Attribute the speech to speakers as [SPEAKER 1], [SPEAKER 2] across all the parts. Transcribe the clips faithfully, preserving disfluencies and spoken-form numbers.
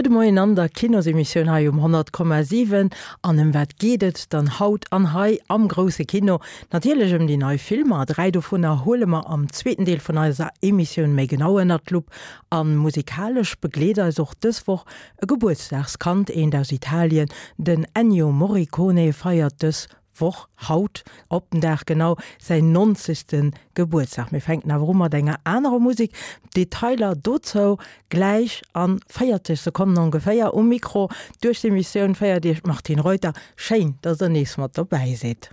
[SPEAKER 1] Gudde Moien an der Kinosemissioun hei um honnert Komma siwen. An ëm wat geet et dann haut an hei am grousse Kino? Natierlech ëm déi nei Filmer. Dräi dovunner huele mer am zweeten Deel vun eiser Emissioun méi genau ënnert d'Lupp. A musikalesch begleet eis och dës Woch e Gebuertsdagskand, eent aus Italien. Den Ennio Morricone feiert dës Woch, haut op den Dag genau, säin nonzegste Gebuertsdag. Mir fänken awer u mat enger anerer Musek. Detailer dozou gläich a véierzeg Sekonnen ongeféier. Um Mikro duerch d'Emissioun féiert Iech d'Martine Reuter. Schéin, dass der nees mat dobäi sidd.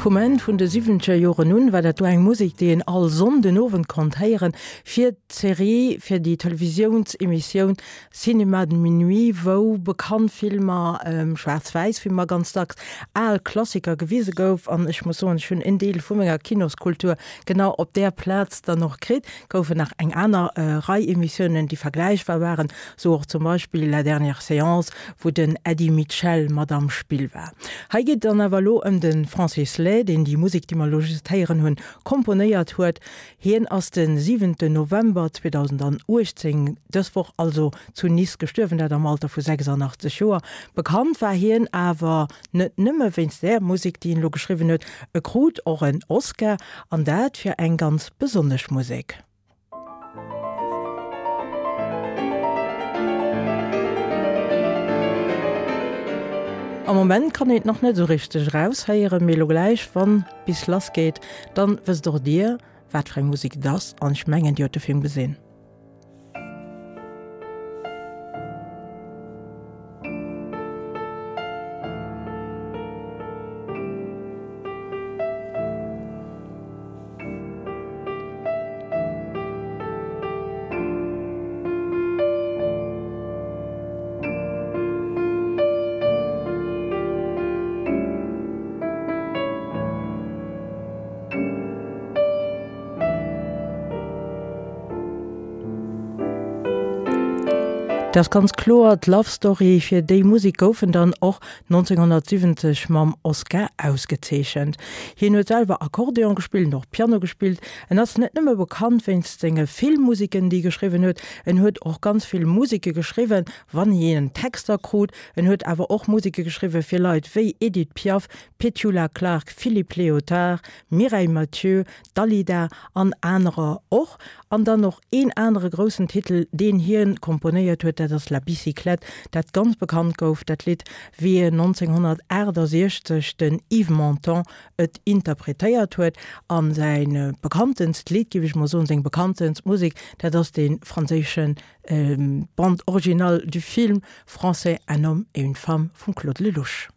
[SPEAKER 1] Vum Enn vun de siwwenzeger Joren un war dat do eng Musek, déi een all Sonnden Owend konnt héieren, fir d'Serie, fir déi Televisiounsemissioun Cinéma de minuit, wou bekannt Filmer, schwaarz-wäiss Filmer ganz dacks, al Klassiker gewise gouf. An ech muss soen, ech hunn en Deel vu menger Kinoskultur genau op där Plaz dann och kritt. Goufen nach eng aner Rei Emissiounen, déi vergläichbar waren, sou och zum Beispill La dernière séance, wou den Eddy Mitchell mat am Spill war. Hei geet et dann awer elo ëm de Francis Lai, deen déi Musek, déi mer elo just héieren hunn, komponéiert huet. Hien ass de siwenten November zweedausenduechtzéng, dës Woch also, zu Nice gestuerwen, dat am Alter vu sechsandachtzeg Joer. Bekannt war hien awer net nëmme wéinst där Musek, déi hien elo geschriwwen huet, e krut och en Oscar, an dat fir eng ganz besonnesch Musek. Am Moment kann een et nach net esou richteg eraushéieren, mee elo gläich, wann bis lass geet, dann wësst och dir, wat fir eng Musek et ass, an ech mengen, dir hutt de Film gesinn. Dat ass ganz kloer d'Love Story. Fir déi Musek gouf en dann och nonzénghonnertsiwwenzeg mam Oscar ausgezeechent. Hien huet selwer Akkordeon gespillt an och Piano gespillt. En ass net nëmme bekannt wéinst senge Filmmuseken, déi e geschriwwen huet, en huet och ganz vill Museke geschriwwen, wann hien Texter krut. En huet awer och Museke geschriwwe fir Leit wéi Edith Piaf, Petula Clark, Philippe Léotard, Mireille Mathieu, Dalida an anerer och. An dann och een anere groussen Titel, deen hien komponéiert huet, dat ass La Bicyclette, dat ganz bekannt gouf, dat Lidd, wéi en nonzénghonnertaachtasechzeg den Yves Montand et interpretéiert huet. A säin bekanntenst Lidd, géif ech mol soen, seng bekanntenst Musek, dat ass dee franséische Bande originale du film français Un homme et une femme vum Claude Lelouch.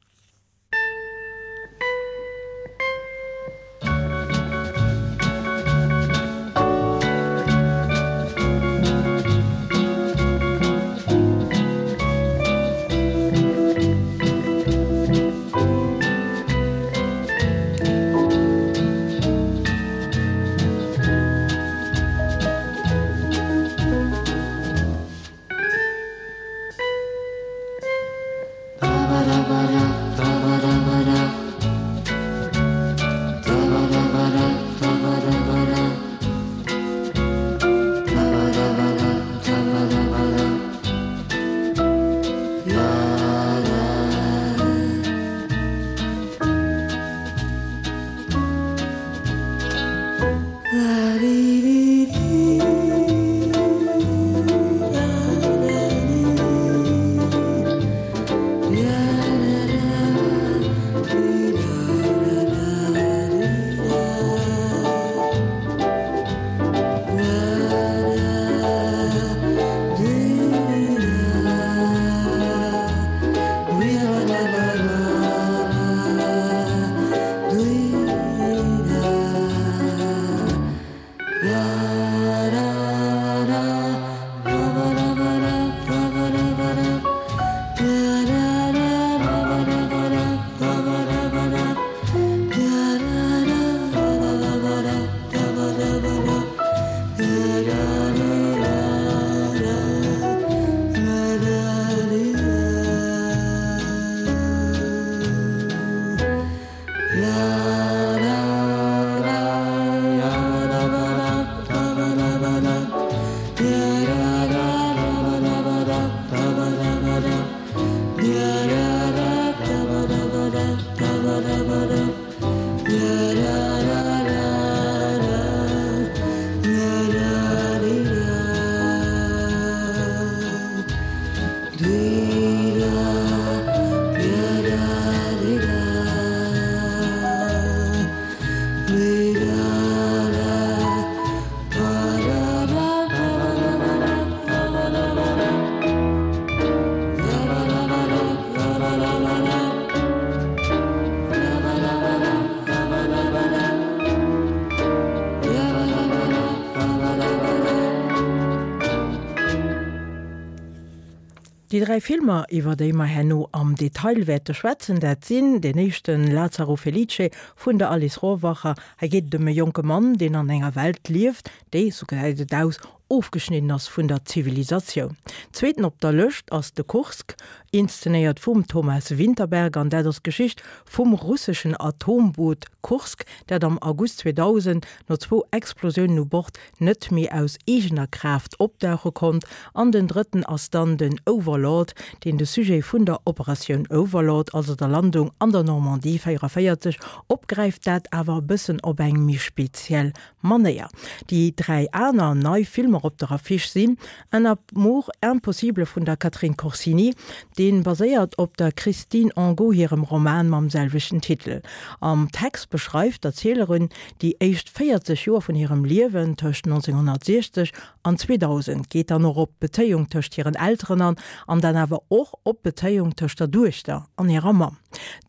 [SPEAKER 1] Déi dräi Filmer, iwwer déi mer herno am Detail wäerte schwätzen, dat sinn, deen éischten Lazzaro Felice vun der Alice Rohrwacher. Hei geet et ëm e jonke Mann, deen an enger Welt lieft, déi, sou gesäit et aus, ofgeschnidden ass vun der Zivilisatioun. Zweeten op der Lëscht ass de Kursk, inszenéiert vum Thomas Vinterberg, an dat ass d'Geschicht vum russeschen Atomboot Kursk, dat am August zweedausend no zwou Explosiounen u Bord net méi aus eegener Kraaft opdauche konnt. An den drëtten ass dann den Overlord, deen de Sujet vun der Operatioun Overlord, also der Landung an der Normandie véieranvéierzeg, opgräift, dat awer e bëssen op eng méi speziell Manéier. Déi dräi aner nei Filmer op der Affiche sinn Un amour impossible vun der Catherine Corsini, dee baséiert op der Christine Angot hirem Roman mam selwechten Titel. Am Text beschreift d'Erzielerin déi éischt véierzeg Joer vun hirem Liewen tëscht nonzénghonnertsiechzeg an zweedausend, geet dann och op d'Bezéiung tëscht hiren Elteren an, an dann awer och op d'Bezéiung tëscht der Duechter an hirer Mamm.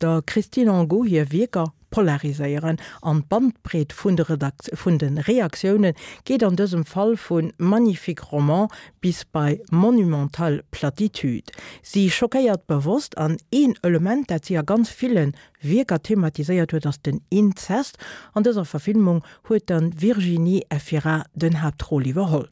[SPEAKER 1] Der Christine Angot hir Wierker polariséieren an d'Bandbreet vun de vun de Reaktioune geet an dësem Fall vu magnifique roman bis bei monumentale Platitude. Si schockéiert bewosst an een Element, dat si a ganz ville Wierker thematiséiert huet, ass den Inzest. An dëser Verfilmung huet dann d'Virginie Efira den Haaptrôle iwwerholl.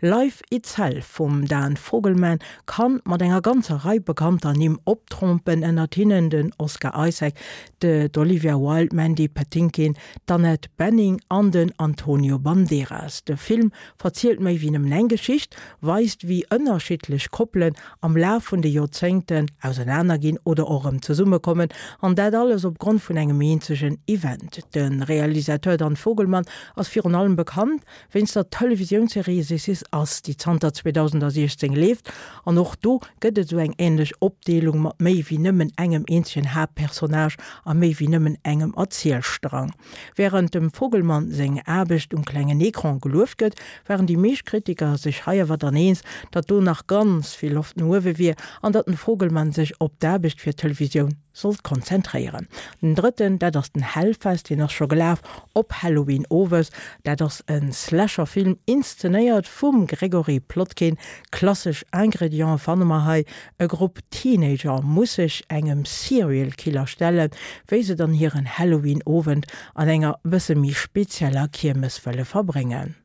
[SPEAKER 1] Life Itself vum Dan Fogelman kann mat enger ganzer Rei bekannter Nimm optrompen, ënnert hinnen den Oscar Isaac, de d'Olivia Wilde, d'Mandy Patinkin, d'Annette Bening an den Antonio Banderas. De Film verzielt méi wéi nëmmen eng Geschicht, weist wéi ënnerschiddlech Koppelen am Laf vun de Joerzéngten ausenaner ginn oder och erëm zesummekommen, an dat alles opgrond vun engem eenzegen Event. De Realisateur Dan Fogelman ass virun allem bekannt wéinst der Televisiounsserie This Is Us, déi zanter zweedausentsiechzéng leeft, an och do gëtt et esou eng änlech Opdeelung mat méi wéi nëmmen engem eenzegen Haaptpersonnage a méi wéi nëmmen engem Erzielstrang. Wärend dem Fogelman seng Aarbecht um klengen Ecran gelueft gëtt, waren déi meescht Kritiker sech hei awer dann eens, datt do nach ganz vill Loft no uewe wier an datt den Fogelman sech op d'Aarbecht fir d'Televisioun sollt konzentréieren. Den drëtten, dat ass den Hellfest, deen ass scho gelaf op Halloween owes. Dat ass e Slasher-Film, inszenéiert vum Gregory Plotkin. Klassesch Ingrediente fanne mer hei, E Grupp Teenager muss sech engem Serial Killer stellen, wéi se dann hiren Halloween-Owend an enger bësse méi spezieller Kiermes wëlle verbréngen.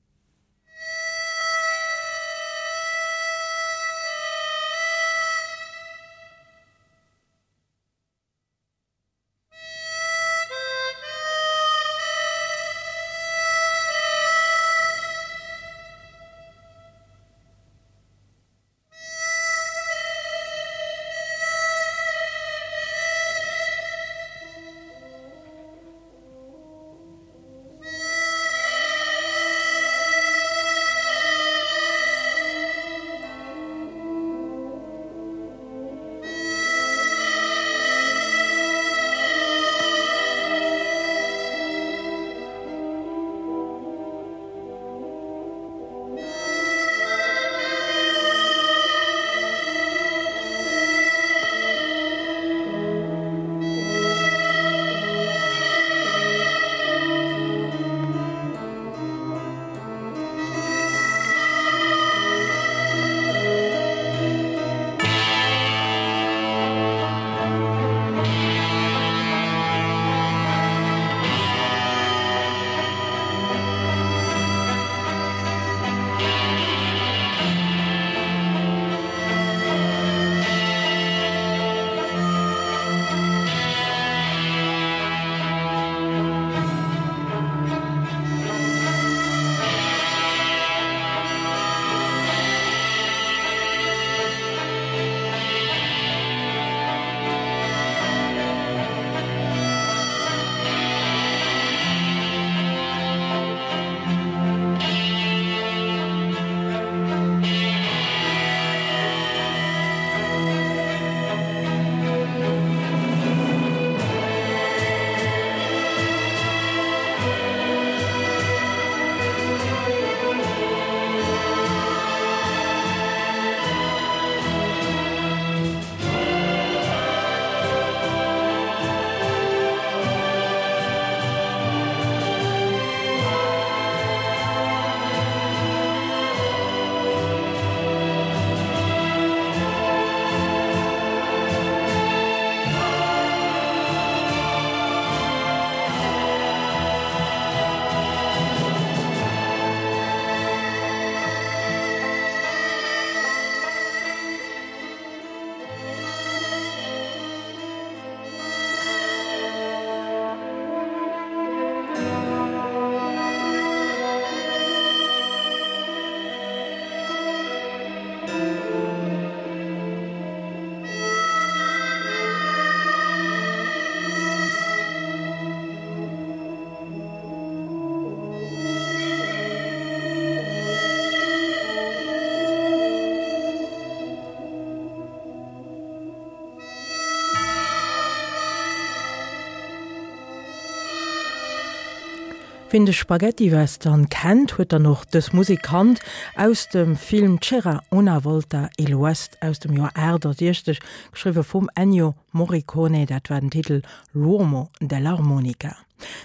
[SPEAKER 1] Wien de Spaghettiwestern kennt, huet dann och dës Musek kannt aus dem Film C'era una volta il West aus dem Joer aachtasechzeg, geschriwwe vum Ennio Morricone, dat war den Titel L'uomo dell'armonica.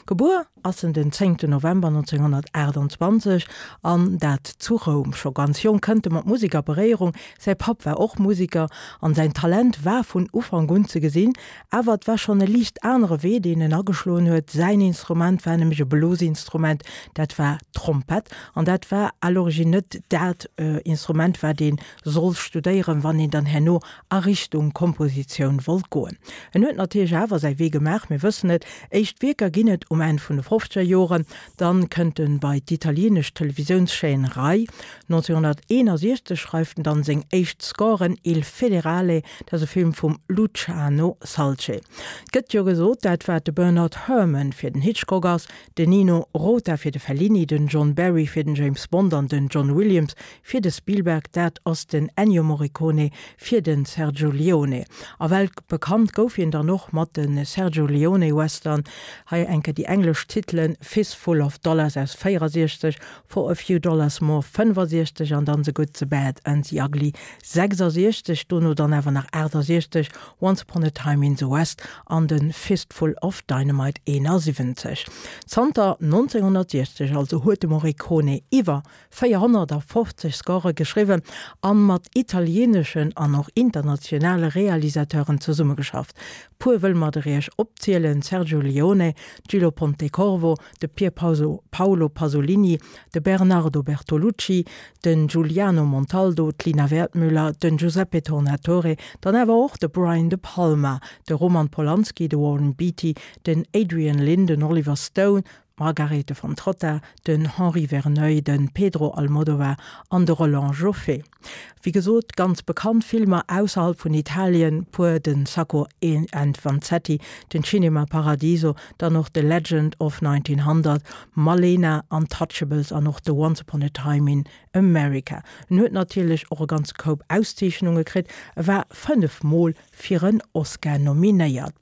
[SPEAKER 1] Gebuer ass en den zéngten November nonzénghonnertaachtanzwanzeg, an dat zu Roum. Scho ganz jonk kënnt e mat Musek a Beréierung, säi Papp war och Museker an säin Talent war vun Ufank un ze gesinn. Awer et war schonn e liicht anere Wee, deen en ageschloen huet. Säin Instrument war nämlech e Blosinstrument, dat war d'Trompett. An dat war à l'origine net dat Instrument, wat ee soll studéieren, wann een dann herno a Richtung Kompositioun wollt goen. En huet natierlech awer säi Wee gemaach, mir wëssen et, éischt Wierker ginn et um Enn vun de fofzeger Joren, dann kënnt en bei d'italienesch Televisiounschaîne Rai. nonzénghonnerteenasiechzeg schreift en dann seng éischt Scoren, Il Federale, dat ass e Film vum Luciano Salce. Et gëtt jo gesot, dat wat de Bernard Herrmann fir den Hitchcock ass, den Nino Rota fir de Fellini, den John Barry fir den James Bond an den John Williams fir de Spielberg, dat ass den Ennio Morricone fir de Sergio Leone. A weltbekannt gouf hien dann och mat de Sergio Leone Western, hei eng Kéier déi englesch Titelen, Fistful of Dollars aus véierasiechzeg, For a Few Dollars More fënnfasiechzeg an dann The Good, the Bad and the Ugly sechsasiechzeg, dono dann awer nach achtasiechzeg Once Upon a Time in the West an de Fistful of Dynamite eenasiwwenzeg. Zanter nonzénghonnertsiechzeg also huet de Morricone iwwer véierhonnertafofzeg Score geschriwwen a mat italieeneschen an och internationale Realisateuren zesummegeschafft. Puer wëll mer der iech opzielen, Sergio Leone, Gillo Pontecorvo, de Pier Paolo Pasolini, de Bernardo Bertolucci, den Giuliano Montaldo, d'Lina Wertmüller, den Giuseppe Tornatore, dann awer och de Brian De Palma, de Roman Polanski, de Warren Beatty, den Adrian Lyne, den Oliver Stone, d'Margarethe von Trotta, den Henri Verneuil, de Pedro Almodovar an de Roland Joffé. Wéi gesot, ganz bekannt Filmer ausserhalb vun Italien, puer, den Sacco and Vanzetti, den Cinema Paradiso, dann och The Legend of nineteen hundred, Malena, Untouchables an och de Once Upon a Time in America. En huet natierlech och e ganze Koup Auszeechnunge kritt, e war fënnef Mol fir en Oscar nominéiert.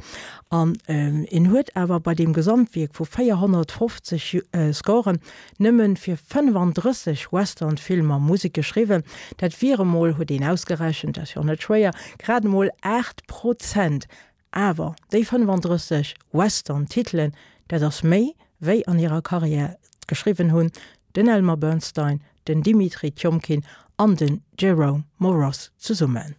[SPEAKER 1] An en huet awer bei deem Gesamtwierk vu véierhonnertfofzeg Scoren nëmmen fir fënnefandrësseg Western-Filmer Musek geschriwwen. Dat wier emol, huet een ausgerechent, dat ass jo net schwéier, grad emol aacht Prozent. Awer déi fënnefandrësseg Western-Titelen, dat ass méi, wéi an hirer Karriär geschriwwen hunn den Elmer Bernstein, den Dimitri Tiomkin an den Jerome Moross zesummen.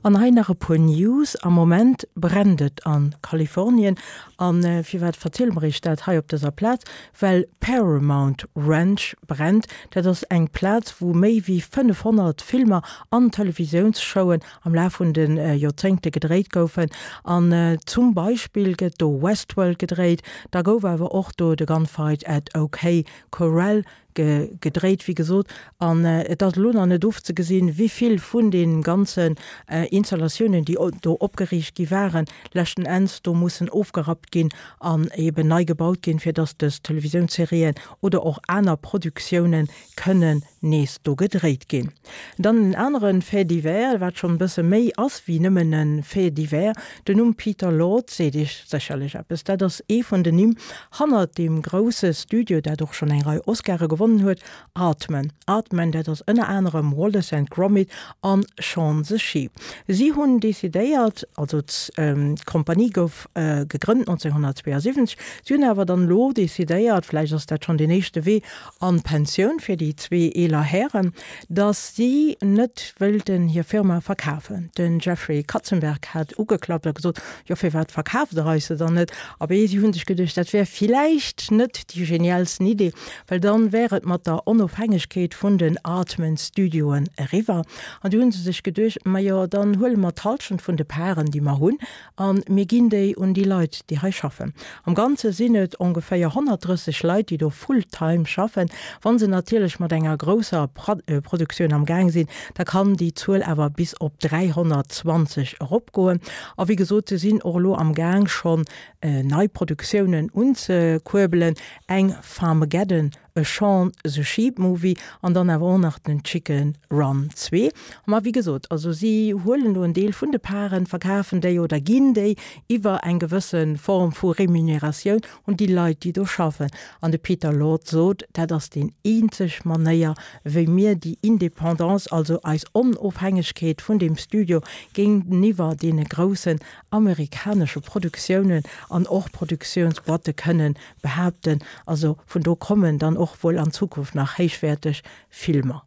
[SPEAKER 1] An hei nach e puer News, Am Moment brennt et a Kalifornien. An firwat verziele mer iech dat hei op dëser Plaz? Well Paramount Ranch brennt. Dat ass eng Plaz, wou méi wéi fënnefhonnert Filmer an Televisiounsshowen am Laf vun de Joerzéngte gedréit goufen. An zum Beispill gëtt do Westworld gedréit, da gouf awer och do de Gunfight at OK Corral gedréit, wéi gesot. An et ass elo nach net ofzegesinn, wéi vill vun de ganzen Installatiounen, déi do opgeriicht gi waren, leschten Enns do mussen ofgerappt ginn an eben nei gebaut ginn, fir dass dës Televisiounsserien oder och aner Produktiounen kënnen nees do gedréit ginn. Dann en anere Fait divers, wat schonn e bësse méi ass wéi nëmmen e Fait divers, Den Numm Peter Lord seet Iech sécherlech eppes. Dat ass ee vun den Nimm hannert deem grousse Studio, dat och schonn eng Rei Oscare gewonnen huet, Aardman. Aardman, dat ass ënner anerem Wallace and Gromit an Shaun the Sheep. Si hunn decidéiert, also d'Kompanie gouf gegrënnt nonzénhunnertzweeasiwwenzeg, si hunn awer dann elo decidéiert, vläicht ass dat schonn deen éischte Wee an d'Pensioun fir déi zwee eeler Hären, datt si net wëilten hir Firma verkafen. Den Jeffrey Katzenberg hat ugeklappt a gesot, Jo, firwat verkaaft Der eis se dann net? Abee, si hu sech geduecht, dat wär villäicht net déi genialsten Idee, well dann wär et mat der Onofhängegkeet vun den Aardman Studioen eriwwer. An du hu se sech geduecht, Majo, dann huele mer d'Hallschent vun de Paren, déi mer hunn, a mir ginn déi un déi Leit, déi hei schaffen. Am Ganze sinn et ongeféier honnertdrësseg Leit, déi do full-time schaffen. Wa se natierlech mat enger grousser Produktioun am Gaang sinn, da kann déi Zuel awer bis op dräihonnertzwanzeg eropgoen. A wéi gesot, se sinn och elo am Gaang schonn nei Produktiounen unzekuerbelen, eng Farmageddon, e Shaun the Sheep Movie an dann awer och nach den Chicken Run zwee. Ma wéi gesot, also si huelen do en Deel vun de Paren, verkafen déi oder ginn déi iwwer eng gewësse Form vu Remuneratioun un déi Leit, déi do schaffen. An de Peter Lord sot, dat ass deen eenzeg Manéier, wéi mir déi Indépendance, also eis Onofhängegkeet vun deem Studio géinteniwwer deene groussen amerikanesche Produktiounen an och Produktiounsboîte kënnen behaapten. Also vun do kommen dann och wuel an Zukunft nach héichwäerteg Filmer.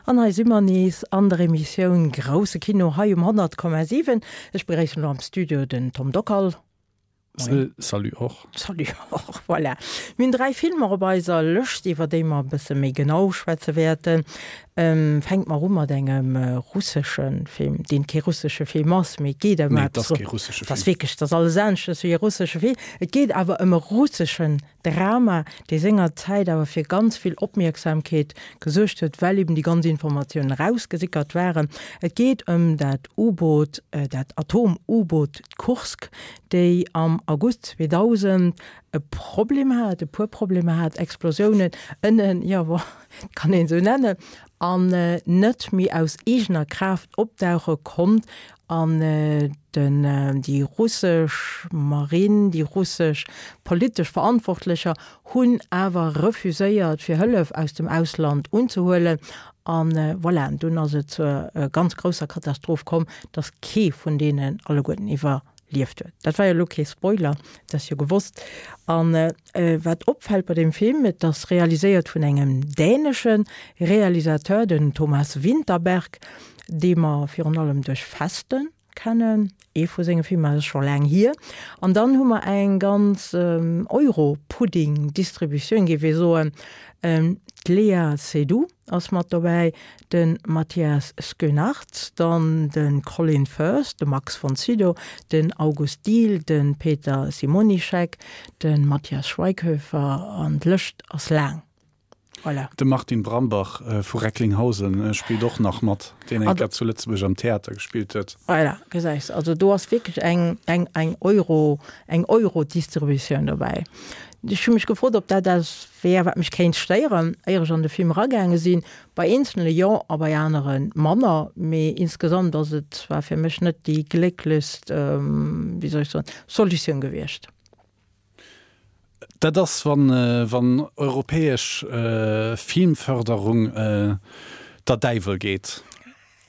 [SPEAKER 1] An hei si mer nees an der Emissioun Grousse Kino hei um honnert Komma siwen. Ech begréissen elo am Studio den Tom Dockal.
[SPEAKER 2] Moien. Salut och.
[SPEAKER 1] Salut och, voilà. Mir hunn dräi Filmer op eiser Lëscht, iwwer déi mer e bësse méi genau schwätze wäerten. Fänke mer u mat engem russesche Film, deen kee russesche Film ass, mee et geet ëm
[SPEAKER 2] Nee, et ass kee russesche Film.
[SPEAKER 1] Et ass wierklech, et ass alles aneschters wéi e russesche Film. Et geet awer ëm e russeschen Drama, dee senger Zäit awer fir ganz vill Opmierksamkeet gesuergt huet, well eben déi ganz Informatiounen erausgesickert waren. Et geet ëm dat U-Boot, dat Atom-U-Boot Kursk, déi am August zweedausend e Problem hat, e puer Problemer hat, Explosiounen ënnen, jo, bon, kann een esou nennen, an net méi aus eegener Kraaft opdauche konnt an den, déi russesch Marinn, déi russesch politesch Verantwortlecher hunn awer refuséiert fir Hëllef aus dem Ausland unzehuelen an voilà, dunn ass et zur ganz grousser Katastroph komm, dass kee vun deenen alleguerten iwwerlieft huet. Dat war jo elo kee Spoiler, dat ass jo gewosst. An wat opfält bei deem Film, et ass realiséiert vun engem dänesche Realisateur, den Thomas Vinterberg, dee mer virun allem duerch Festen kennen, ee vu senge Filmer, dat ass scho laang hier. An dann hu mer eng ganz Euro-Pudding-Distributioun, géif ee soen, d'Léa Seydoux ass mat dobäi, de Matthias Schoenaerts, dann de Colin Firth, de Max von Sydow, den August Diehl, de Peter Simonischek, de Matthias Schweighöfer an d'Lëscht ass laang. Voilà.
[SPEAKER 2] De Martin Brambach vu Recklinghausen spillt och nach mat, deen eng Kéier zu Lëtzebuerg am Theater gespillt huet.
[SPEAKER 1] Voilà, gesäis, also do ass wierklech eng, eng, eng Euro, eng Euro-Distributioun dobäi. Ech hu mech gefrot, ob dat eppes wär, wat mech kéint stéieren, éier ech an de Film eragaange sinn. Bei eenzelne jo a bei anere manner, mee insgesamt ass et zwar fir mech net déi glécklechst, wéi soll ech soen, Solutioun gewiescht.
[SPEAKER 2] Dat ass, wann, wann europäesch Filmförderung der Däiwel geet.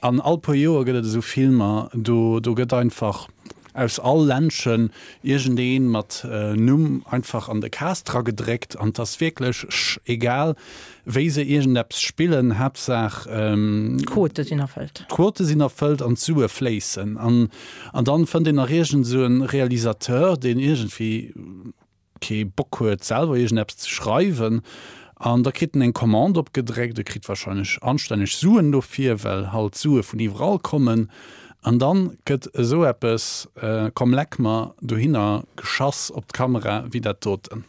[SPEAKER 2] An all puer Joer gëtt et esou Filmer, do, do gëtt einfach aus all Ländchen iergendee mat Numm einfach an de Cast dragedréckt an 't ass wierklech sch egal, wéi se iergendeppes spillen, Haaptsaach
[SPEAKER 1] d'Quote sinn erfëllt.
[SPEAKER 2] D'Quote sinn erfëllt an d'Sue fléissen. An, an dann fënnt een nach iergend esou e Realisateur, deen iergendwéi kee Bock huet selwer iergendeppes ze schreiwen an da kritt en eng Commande opgedréckt, e kritt wahrscheinlech anstänneg Suen dofir, well halt d'Sue vun iwwerall kommen an dann gëtt esou eppes, komm leck mer, dohinner geschass op d'Kamera wéi dat doten.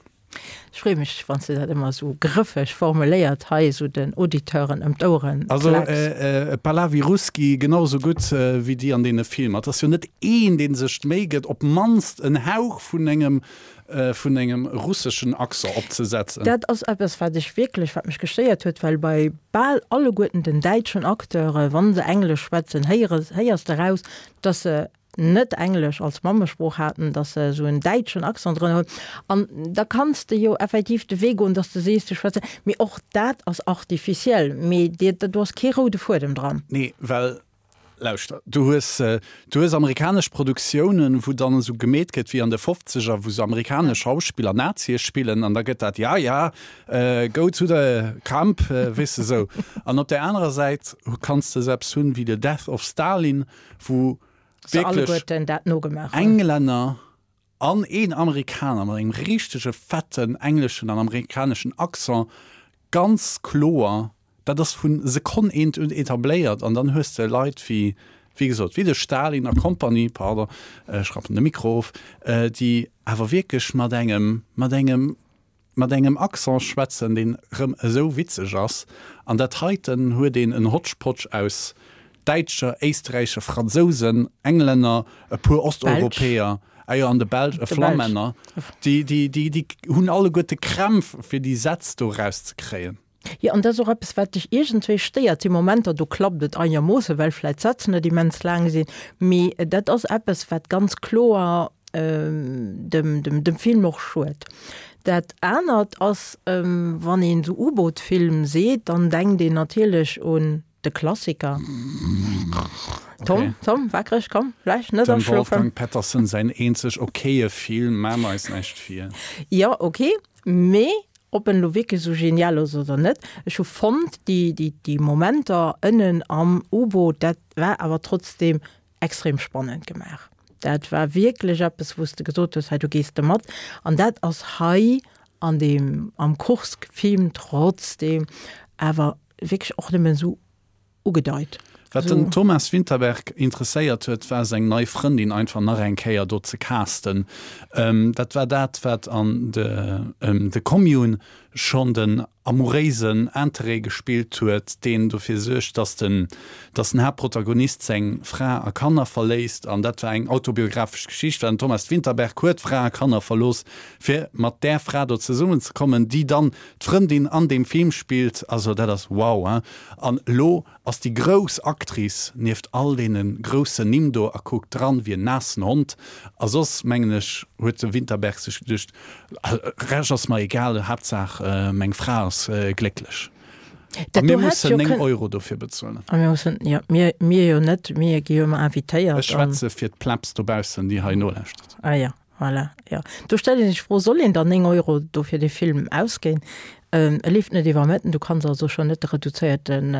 [SPEAKER 1] Ech freeë mech, wann s de dat ëmmer esou grëffeg formuléiert hei esou den Auditeuren ëm d'Oueren
[SPEAKER 2] Also
[SPEAKER 1] klacks.
[SPEAKER 2] Palavi Ruski genau esou gutt wéi déi an deene Filmer. Et ass jo net een, dee sech d'Méi gëtt, op d'mannst en Hauch vun engem vun engem russeschen Accent opzesetzen.
[SPEAKER 1] Dat ass eppes, wat ech wierklech, wat mech gestéiert huet, well bei bal alleguerten den däitschen Acteure, wa se Englesch schwätzen, héiere, héiers de raus, dass se net Englesch als Mammesprooch haten, dass se esou en däitschen Accent drënner hunn. An da kanns de jo effektiv de Wee goen, dass de sees, du schwätze, mee och dat ass artificiel, mee dir, do ass kee roude Fuedem dran.
[SPEAKER 2] Nee, well Lauschter, du hues, du hues amerikanesch Produktiounen, wou dann esou gemeet gëtt wéi an de Fofzeger, wou se amerikanesch Schauspiller Nazie spillen an da gëtt dat, ja, ja, go to the camp, weess de esou. An op där anerer Säit kanns de esou eppes hunn wéi The Death of Stalin, wou wierklech Englänner an een Amerikaner mat engem richtege fetten engleschen an amerikaneschen Accent ganz kloer, dat ass vu Sekonn eent un etabléiert an dann hues de Leit wéi, wéi gesot, wéi de Stalin a Kompanie, pardon, ech rappen de Mikro of, déi awer wierklech mat engem, mat engem, mat engem Accent schwätzen, deen erëm esou witzeg ass. An dat heiten huet een en Hotchpotch aus Däitscher, Éisträicher, Fransousen, Englänner, e puer Osteuropäer, ah jo, an de Belsch, e Flammänner, déi, déi, déi, déi hunn alleguerte Krämpf, fir déi Sätz do erauszekréien.
[SPEAKER 1] Jo, an dat ass och eppes, wat dech iergendwéi stéiert. Et si Momenter, do klappt et einermoosse, well vläicht d'Sätz net immens laang sinn, mee dat ass eppes, wat ganz kloer dem, dem, dem Film och schued. Dat anert ass, wann een esou U-Boot-Film seet, dann denkt een natierlech un de Klassiker. Tom, okay. Tom, wakereg, komm, vläicht net
[SPEAKER 2] Dem
[SPEAKER 1] aschlofen.
[SPEAKER 2] Wolfgang Pettersen säin eenzeg okaye Film, Maa mer eis näischt vir.
[SPEAKER 1] Jo, okay, mee Ob en elo wierklech esou genial ass oder net, ech hu fonnt, déi, déi, déi Momenter ënnen am U-Boot, dat war awer trotzdem extrem spannend gemaach. Dat war wierklech eppes, wou s de gesot hues, hei do gees de mat. An dat ass hei an deem, am Kursk-Film trotzdem awer wierklech och nëmmen esou ugedeit.
[SPEAKER 2] Wat den Thomas Vinterberg interesséiert huet, war seng nei Frëndin einfach nach eng Kéier do ze casten. Dat war dat, wat an The Commune schonn den amouréisen Interêt gespillt huet, deen dofir suergt, dass den, dass den Haaptprotagonist seng Fra a Kanner verléisst. An dat war eng autobiographesch Geschicht, well den Thomas Vinterberg huet Fra a Kanner verlooss, fir mat där Fra do zesummenzekommen, déi dann d'Frëndin an deem Film spillt. Also dat ass wow, hein! An elo ass déi grouss Actrice nieft all deene groussen Nimm do a kuckt dran wéi en naassen Hond. A soss, mengen ech, huet de Vinterberg sech geduecht, Rescht ass mer egal, Haaptsaach meng Fra ass glécklech. A mir mussen néng Euro dofir bezuelen.
[SPEAKER 1] A mir mussen, jo, mir, mir jo net, mir gi jo ëmmer invitéiert.
[SPEAKER 2] Ech schwätze fir d'Plebs dobaussen, déi hei nolauschtert.
[SPEAKER 1] Ah ja. Voilà, jo. Do stellt ee sech d'Fro, Soll een dann néng Euro do fir dee Film ausginn? E leeft net iwwer Mëtten, du kanns also schonn net de reduzéierten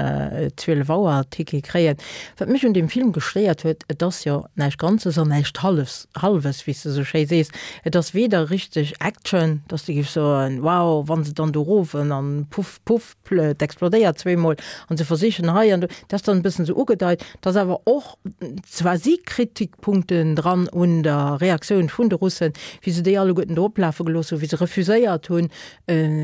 [SPEAKER 1] zwielef Auer Ticket kréien. Wat mech un deem Film gestéiert huet, et ass jo näischt Ganzes an näischt Hallefs, Hallwes, wéi s de esou schéi sees. Et ass weder richteg Action, dass de géifs soen, wow, wa se dann do erofen an puff, puff, et explodéiert zweemol an se versichen hei an do, dat ass dann e bëssen esou ugedeit, dass awer och zwar si Kritikpunkten dran un der Reaktioun vun de Russen, wéi se déi alleguerten do oplafe gelooss hunn, wéi se refuséiert hunn,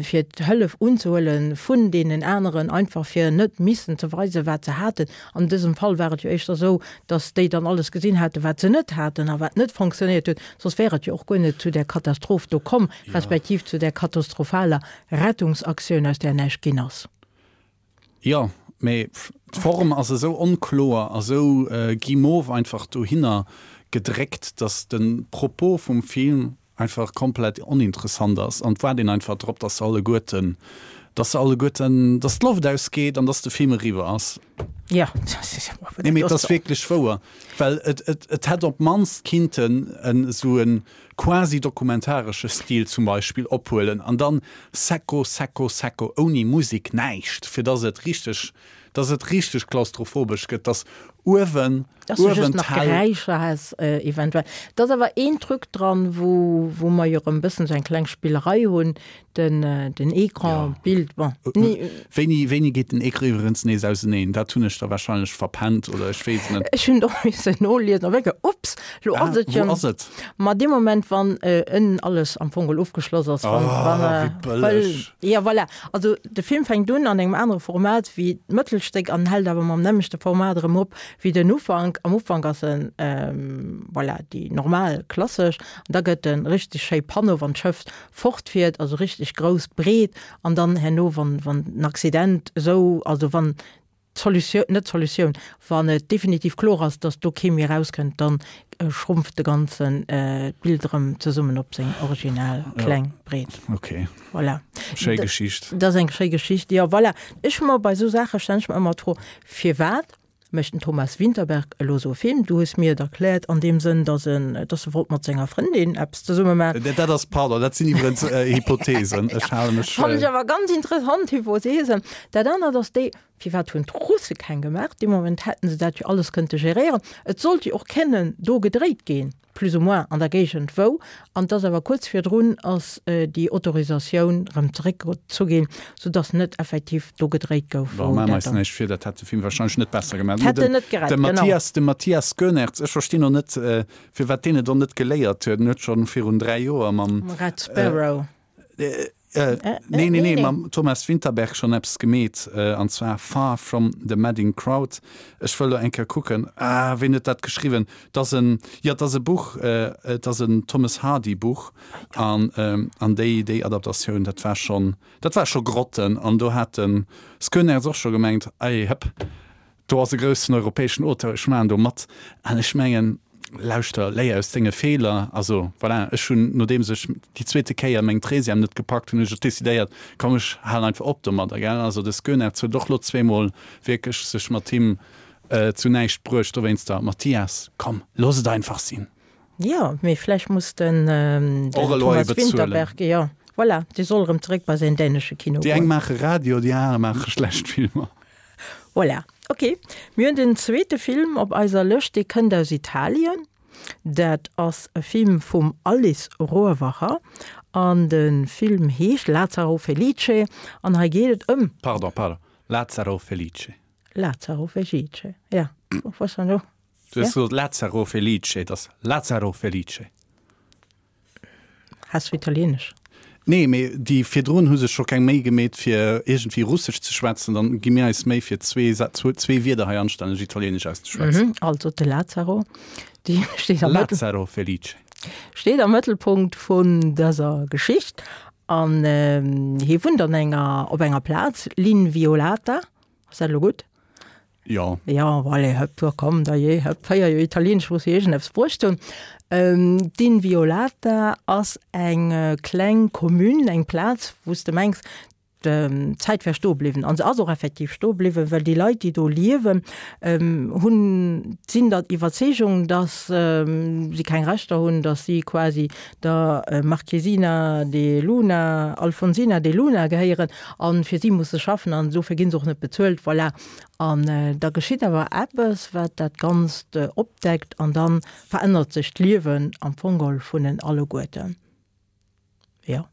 [SPEAKER 1] fir d'Hëllef unzehuele vun deenen aneren, einfach fir net missen ze weisen, wat se haten. An dësem Fall war et jo éischter esou, dass déi dann alles gesinn haten, wat se net haten a wat net fonctionnéiert huet, soss wär et jo och guer net zu där Katastroph do komm, respektiv zu där katastrophaler Rettungsaktioun, aus där näischt ginn ass.
[SPEAKER 2] Jo, mee d'Form ass esou onkloer a sou guimauve einfach dohinner gedréckt, dass de Propos vum Film einfach komplett oninteressant ass an et waart een einfach drop, dass se alleguerten, dass se alleguerten, dass d'Loft ausgeet an dass de Film eriwwer ass.
[SPEAKER 1] Jo,
[SPEAKER 2] Nee, mee et ass wierklech wouer, well et, et, et hätt op d'mannst kinnten en esou e quasi dokumentaresche Stil zum Beispill ophuelen an dann secco, secco, secco, ouni Musek, näischt, fir dass et richteg, dass et richteg klaustrophobesch gëtt, dass uewen,
[SPEAKER 1] Dass du just
[SPEAKER 2] uewen
[SPEAKER 1] nach
[SPEAKER 2] d'Hell.
[SPEAKER 1] Geräischer häss eventuell. Et ass awer een Truc dran, wou, wou mer jo erëm e bëssen esou eng kleng Spillerei hunn, den, den Ecran, d'Bild, bon, ni.
[SPEAKER 2] Wéini, wéini geet den Ecran iwwerens nees auseneen? Dat hunn ech da wahrscheinlech verpennt oder ech weess et net.
[SPEAKER 1] Ech hunn et och missen noliesen, a wéinke, ups, lo ass et jo.
[SPEAKER 2] Wou ass et?
[SPEAKER 1] Ma dee Moment, wann ënnen alles am Fong geholl ofgeschloss ass, wann, wann,
[SPEAKER 2] Oh, wéi bëlleg.
[SPEAKER 1] Jo, voilà. Also de Film fänkt un an engem anere Format wéi d'Mëttelstéck an hält awer mam nämmlechte Format erëm op wéi den Ufank. Am Ufank ass en, voilà, déi normal klassesch, an da gëtt en richteg schéi Panneau, wann d'Schëff fortfiert, also richteg grouss, breet, an dann herno, wann, wann den Accident esou, also wann d'Solutioun, net d'Solutioun, wann et definitiv kloer ass, dass do kee méi erauskënnt, dann schrumpft de ganzen d'Bild erëm zesummen op seng original kleng Breet.
[SPEAKER 2] Ok.
[SPEAKER 1] Voilà.
[SPEAKER 2] Schéi Geschicht.
[SPEAKER 1] Dat ass eng schéi Geschicht, jo, voilà. Ech hu mer bei esou Saache stellen ech mer ëmmer d'Fro, firwat mécht den Thomas Vinterberg elo esou e Film? Du hues mir et erkläert an deem Sënn, dass en, dass e wollt mat senger Frëndin eppes zesumme maachen.
[SPEAKER 2] Dat ass, pardon, dat sinn iwwerens Hypothesen. Ech hale mech.
[SPEAKER 1] Fannen ech awer ganz interessant Hypothesen. Dat anert ass déi, Firwat hunn d'Russe keng gemaach? Dee Moment hätten se dat jo alles kënnte geréieren. Et sollt jo och kennen do gedréit ginn, plus ou moins an der Géigend wou. An et ass awer kuerz virdrun ass déi Autorisatioun erëm zeréckgezu ginn, soudass net effektiv do gedréit gouf,
[SPEAKER 2] Bon,
[SPEAKER 1] wou
[SPEAKER 2] maache mer
[SPEAKER 1] dat
[SPEAKER 2] eis
[SPEAKER 1] dann.
[SPEAKER 2] näischt vir, dat hätt de Film wahrscheinlech net besser gemaach.
[SPEAKER 1] Hätt en net gerett,
[SPEAKER 2] De
[SPEAKER 1] genau.
[SPEAKER 2] Matthias, de Matthias Schoenaerts, ech verstinn och net, firwat deen et och net geléiert huet. En huet schonn virun dräi Joer mam.
[SPEAKER 1] Red Sparrow.
[SPEAKER 2] Äh, nee, nee, nee, mam Thomas Vinterberg schonn eppes gemeet, an zwar Far From The Madding Crowd. Ech wëll lo eng Kéier kucken, ah, ween huet dat geschriwwen? Et ass en, jo, et ass e Buch, et ass en Thomas Hardy Buch, an, an déi, déi Adaptatioun, dat war schonn, dat war scho Grotten, an do hat de Schoenaerts och scho gemengt, ei, hëpp, Do ass e groussen europäeschen Auteur, ech maachen do mat. An ech mengen, lauschter, léier aus denge Feeler. Also voilà, ech hunn, nodeems ech déi zweete Kéier meng Treizième net gepackt hunn, hunn ech decidéiert, komm ech halen einfach op domadder, gell. Also de Schoenaerts huet och lo zweemol wierklech sech mat him zu näischt bruecht dowéinster. Mathias, komm, looss et einfach sinn.
[SPEAKER 1] Jo, mee vläicht muss den, den
[SPEAKER 2] Och elo
[SPEAKER 1] Thomas
[SPEAKER 2] bezuelen.
[SPEAKER 1] Vinterberg, jo, Voilà, dee soll erëm zeréck bei säin dänesche Kino
[SPEAKER 2] Déi eng
[SPEAKER 1] goen.
[SPEAKER 2] maache Radio, déi aner maache schlecht Filmer.
[SPEAKER 1] Voilà, ok. Mir hunn den zweete Film op eiser Lëscht, dee kënnt aus Italien. Dat ass e Film vum Alice Rohrwacher an de Film heescht Lazzaro Felice an hei geet et ëm.
[SPEAKER 2] Pardon, pardon, Lazzaro Felice.
[SPEAKER 1] Lazzaro Felice, ja. Was dann do?
[SPEAKER 2] Du hues gesot Lazzaro Felice, et ass Lazzaro Felice.
[SPEAKER 1] Has du Italienesch?
[SPEAKER 2] Nee, mee déi virdrun hu sech scho keng Méi gemeet fir iergendwéi Russesch ze schwätzen, dann gi mir eis Méi fir zwee zwee Wierder hei anstänneg Italienesch auszeschwätzen.
[SPEAKER 1] Mhm, also de Lazzaro, dee steet am Mëttel,
[SPEAKER 2] Lazzaro Felice.
[SPEAKER 1] steet am Mëttelpunkt vun dëser Geschicht an hie wunnt an enger, op enger Plaz, L'Inviolata, ass dat elo gutt?
[SPEAKER 2] Jo.
[SPEAKER 1] Jo, allez, hëpp, jo, komm, da jee, hëpp, véier Joer Italieenesch muss jo iergendeppes bruecht hunn. D'Inviolata ass eng kleng Commune, eng Plaz, wou s de mengs, d'Zäit wär stoe bliwwen. An se ass och effektiv stoe bliwwen, well déi Leit, déi do liewen, hunn, sinn der Iwwerzeegung, datt si keng Rechter hunn, datt si quasi der Marchesina de Luna, Alfonsina de Luna gehéieren a fir si musse schaffen an dofir gi se och net bezuelt. Voilà. An da geschitt awer eppes, wat dat Ganzt opdeckt an da verännert sech d'Liewen am Fong geholl vun den alleguerten. Jo.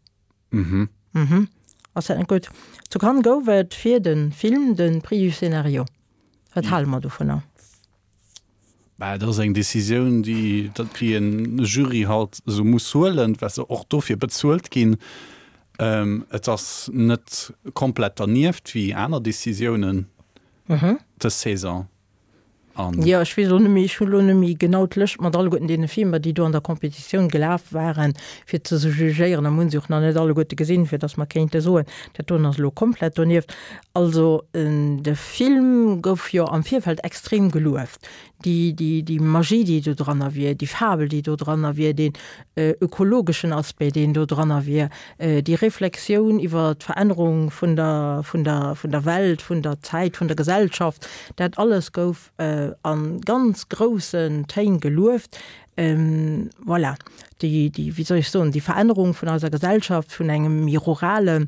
[SPEAKER 2] Mhm.
[SPEAKER 1] Mhm. Ass dat net gutt? Zu Cannes gouf et fir de Film de Prix du scénario. Wat hale mer dovunner?
[SPEAKER 2] Bah, dat ass eng Decisioun, déi, déi en Jury halt esou muss huelen, well se och dofir bezuelt ginn. Et ass net komplett dernieft wéi aner Decisiounen dës Saison. An.
[SPEAKER 1] Jo, ech weess elo net méi, ech hunn elo net méi genau d'Lëscht mat alleguerten deene Filmer, déi do an der Competitioun gelaf waren, fir ze se jugéieren. A mir hunn se och nach net alleguerte gesinn, fir datt mer kéinte soen, dat doen ass elo komplett donieft. Also, de Film gouf jo am Virfeld extrem gelueft. Déi, déi, déi Magie, déi do dranner wier, déi Fabel, déi do dranner wier, deen ökologeschen Aspect, deen do dranner wier, déi Reflexioun iwwer d'Verännerung vun der, vun der, vun der Welt, vun der Zäit, vun der Gesellschaft, dat alles gouf a ganz groussen Téin gelueft. Voilà, déi, déi, wéi soll ech soen, déi Verännerung vun eiser Gesellschaft vun engem méi rurale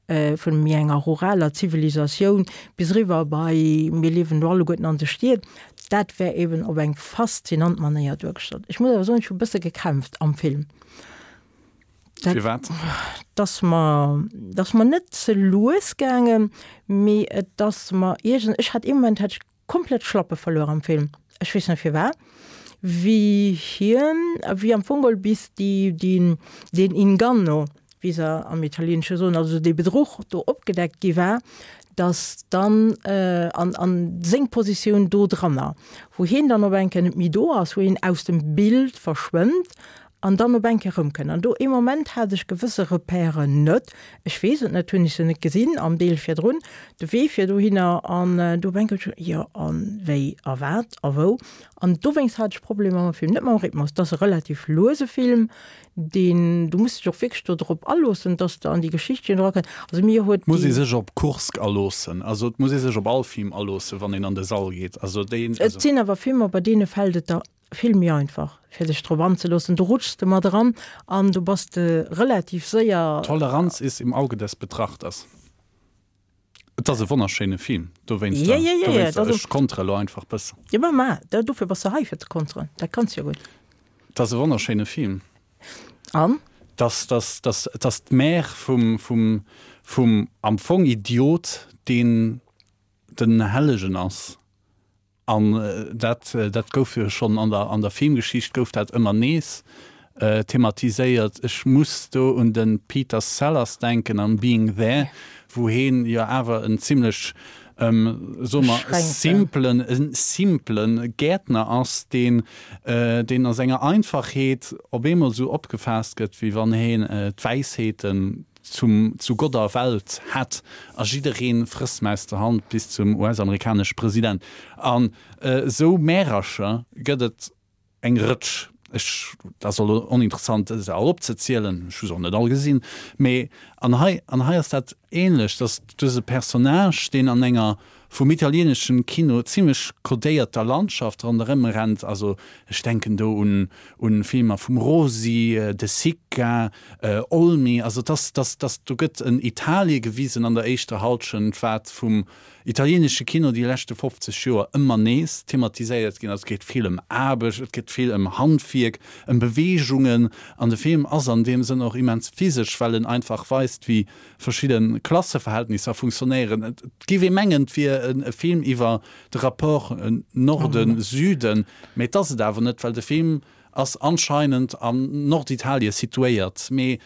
[SPEAKER 1] vun méi enger ruraler Zivilisatioun bis eriwwer bei mir liewen elo alleguerten an de Stied, dat wär eben op eng faszinant Manéier duergestallt. Ech muss awer soen, ech hu e bësse gekämpft am Film. Dat
[SPEAKER 2] Firwat?
[SPEAKER 1] ass mer, dat ass mer net ze lues gaangen, mee et ass mer iergend, ech hat ee Moment hat ech komplett d'Schlappe verluer am Film. Ech weess net firwat, wéi hien, wéi am Fong geholl bis déi, deen, deen Inganno, wéi se am Italieenesche soen, also dee Bedruch do opgedeckt gi war, datt dann, an, an seng Positioun do dranner, wou hien dann op eng Kéier net méi do ass, wou hien aus dem Bild verschwënnt an dann op eng Kéier erëmkënnt. An do ee Moment hat ech gewësse Repèren net, ech weess et net, hunn ech se net gesinn am Deel virdrun, de Wee fir dohinner, an do op eng Kéier, jo, a wéi a wat a wou. An dowéinst hat ech Problemer mam Film, net mam Rhythmus, et ass e relativ luese Film, deen, du muss dech och wierklech do drop aloossen, dass de an déi Geschichtchen erakënns. Also mir huet
[SPEAKER 2] Et muss ee
[SPEAKER 1] déi.
[SPEAKER 2] sech op Kursk aloossen, also et muss ee sech op all Film aloossen, wann een an de Sall geet. Also deen,
[SPEAKER 1] Et
[SPEAKER 2] also.
[SPEAKER 1] sinn awer Filmer, bei deene fält et der vill méi einfach, fir dech drop anzeloossen. Do rutschs de mat eran an du bass de relativ séier.
[SPEAKER 2] Toleranz ist im Auge des Betrachters. Et ass e wonnerschéine Film, dowéinster,
[SPEAKER 1] Ja, ja, ja, ja,
[SPEAKER 2] dowéinster,
[SPEAKER 1] dat
[SPEAKER 2] ech kontere lo einfach bëssen.
[SPEAKER 1] Jo, ma ma, dofir bass de hei, fir ze konteren. Dat kanns de jo gutt.
[SPEAKER 2] Et ass e wonnerschéine Film.
[SPEAKER 1] An?
[SPEAKER 2] Dass, dass, dass, dass d'Mère vum, vum, vum am Fong Idiot, deen den Hellegen ass. An dat, dat gouf jo schonn an der, an der Filmgeschicht gouf dat ëmmer nees thematiséiert. Ech muss do un de Peter Sellers denken an Being There, wou heen jo awer en zimlech, soe mer, simplen, en simplen Gäertner ass, deen, deen a senger Einfachheet op eemol esou opgefaasst gëtt, wéi wann heen d'Wäisheeten zum, zu Gott a Welt hätt a jidderee frësst em aus der Hand bis zum US-amerikanesche President. An esou Märercher gëtt et eng Rëtsch. Ech, dat ass elo oninteressant, se all opzezielen, ech hu se och net all gesinn, mee an hei, an hei ass dat ähnlech, dass du hues e Personnage, deen an enger vum italieneschen Kino zimmlech kodéierter Landschaft ronderëm rennt. Also ech denken do un un Filmer vum Rosi, De Sica, Olmi. Also dass dass dass do gëtt en Italie gewisen an der éischter Halschent, wat vum italienesche Kino déi leschte fofzeg Joer ëmmer nees thematiséiert ginn ass. Et geet vill ëm Aarbecht, et geet vill ëm Handwierk, ëm Beweegungen an de Film ass an deem Sënn och immens physesch, well en einfach weist, wéi verschidde Klasseverhältnisser funktionéieren. Et géif ee mengen, et wier e Film iwwer de Rapport Norden-Süden, mee et ass et awer net, well de Film ass anscheinend an Norditalie situéiert. Mee